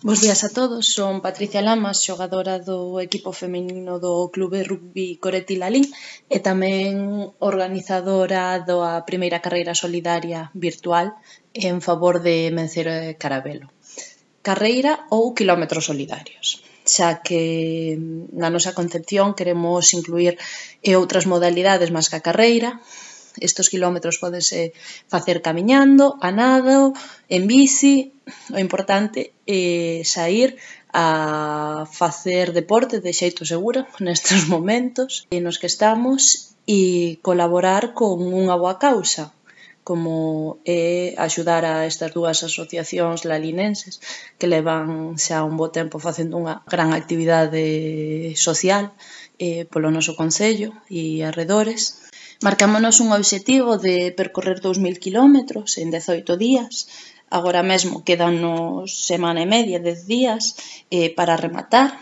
Bos días a todos, son Patricia Lamas, xogadora do equipo feminino do Clube Rugby Coreti Lalín e tamén organizadora da primeira carreira solidaria virtual en favor de Mencero e Carabelo. Carreira ou quilómetros solidarios, xa que na nosa concepción queremos incluir outras modalidades máis que a carreira. Estes quilómetros pódense facer camiñando, a nado, en bici. O importante é saír a facer deporte de xeito seguro nestes momentos nos que estamos e colaborar con unha boa causa, como é axudar a estas dúas asociacións lalinenses que levan xa un bo tempo facendo unha gran actividade social polo noso concello e arredores. Marcámonos un obxectivo de percorrer 2000 kilómetros en 18 días. Agora mesmo quédanos semana e media, 10 días, para rematar.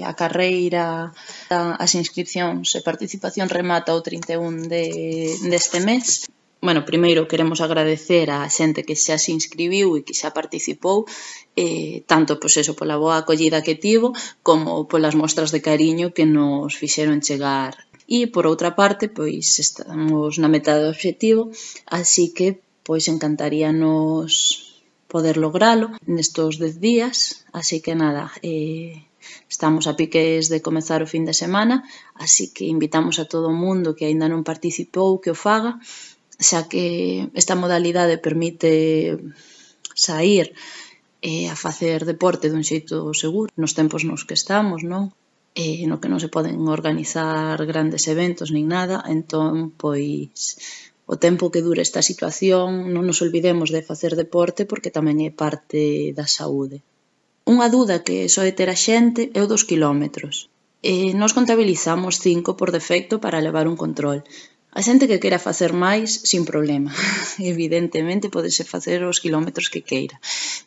A carreira, as inscripcións e participación remata o 31 deste mes. Bueno, primeiro queremos agradecer á xente que xa se inscribiu e que xa participou, tanto pola boa acollida que tivo, como polas mostras de cariño que nos fixeron chegar. E, por outra parte, pois estamos na meta do obxectivo, así que encantaríanos poder logralo nestos 10 días, así que nada, estamos a piques de comezar o fin de semana, así que invitamos a todo o mundo que aínda non participou que o faga, xa que esta modalidade permite saír a facer deporte dun xeito seguro nos tempos nos que estamos, non? No que non se poden organizar grandes eventos nin nada, entón, pois, o tempo que dure esta situación non nos olvidemos de facer deporte porque tamén é parte da saúde. Unha duda que soe ter a xente é o dos quilómetros. Nós contabilizamos 5 por defecto para levar un control. A xente que queira facer máis, sin problema. Evidentemente, pódese facer os quilómetros que queira.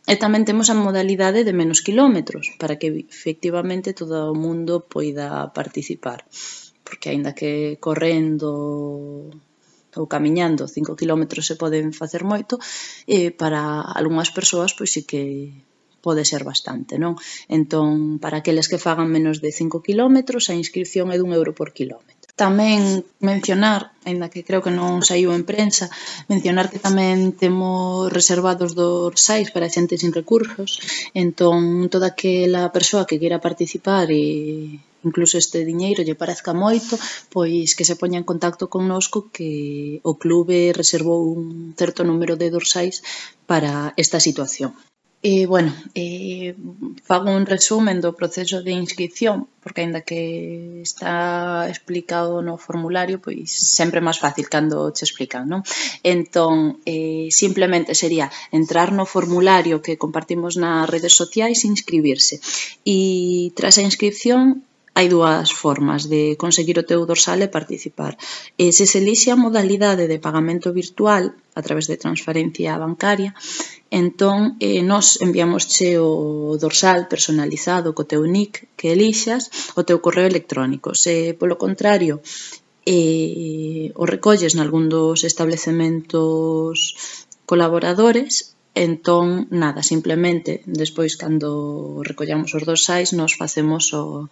E tamén temos a modalidade de menos quilómetros, para que efectivamente todo o mundo poida participar. Porque aínda que correndo ou camiñando 5 kilómetros se poden facer moito, para algunhas persoas pois sí que pode ser bastante, non? Entón, para aqueles que fagan menos de 5 kilómetros, a inscripción é d'1 € por kilómetro. Tamén mencionar, aínda que creo que non saiu en prensa, mencionar que tamén temos reservados dorsais para xente sin recursos, entón toda aquela persoa que queira participar e incluso este diñeiro lle parezca moito, pois que se poña en contacto connosco que o clube reservou un certo número de dorsais para esta situación. Fago un resumen do proceso de inscripción, porque aínda que está explicado no formulario, pois sempre é máis fácil cando che explican, non? Entón, simplemente sería entrar no formulario que compartimos nas redes sociais e inscribirse. E tras a inscripción, hai dúas formas de conseguir o teu dorsal e participar. Se se elixe a modalidade de pagamento virtual a través de transferencia bancaria, entón nós enviamosche o dorsal personalizado co teu nick que elixas, o teu correo electrónico. Se, polo contrario, o recolles nalgún dos establecementos colaboradores, entón, nada, simplemente, despois, cando recollamos os dorsais, nos facemos o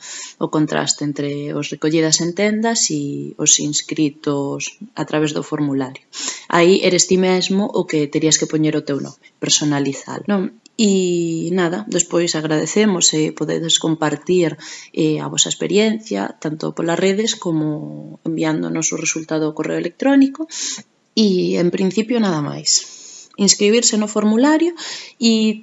contraste entre os recollidas en tendas e os inscritos a través do formulario. Aí eres ti mesmo o que terías que poñer o teu nome, personalizalo, non? E nada, despois agradecemos se podedes compartir a vosa experiencia, tanto polas redes como enviándonos o resultado ao correo electrónico e, en principio, nada máis. Inscribirse no formulario e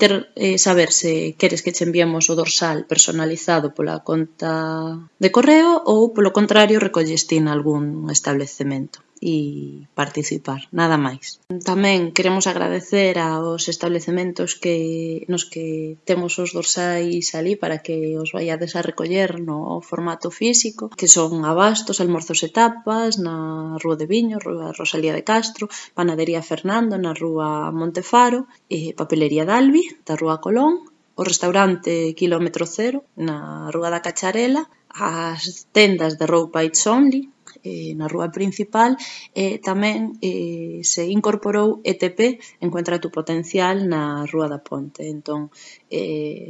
saber se queres que che enviemos o dorsal personalizado pola conta de correo ou, polo contrario, recolles ti nalgún establecemento e participar, nada máis. Tamén queremos agradecer aos establecementos nos que temos os dorsais alí para que os vaiades a recoller no formato físico, que son Abastos, Almorzos e Tapas, na Rúa de Viño, Rúa Rosalía de Castro, Panadería Fernando, na Rúa Montefaro, Papelería Dalvi, da Rúa Colón, o restaurante Kilómetro Cero, na Rúa da Cacharela, as tendas de roupa It's Only, na rúa principal, tamén se incorporou ETP, Encuentra tu potencial, na Rúa da Ponte. Entón,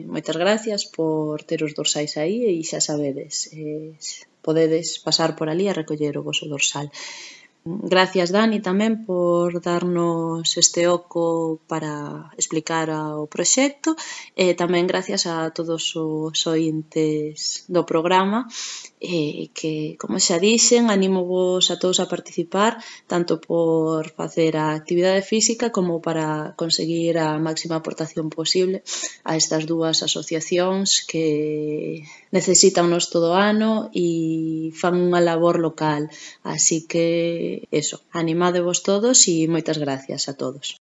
moitas gracias por ter os dorsais aí e xa sabedes, podedes pasar por ali a recoller o voso dorsal. Gracias, Dani, tamén por darnos este oco para explicar o proxecto e tamén gracias a todos os ointes do programa que, como xa dixen, animo-vos a todos a participar tanto por facer a actividade física como para conseguir a máxima aportación posible a estas dúas asociacións que necesítanos todo o ano e fan unha labor local. Así que, eso, animádevos todos e moitas gracias a todos.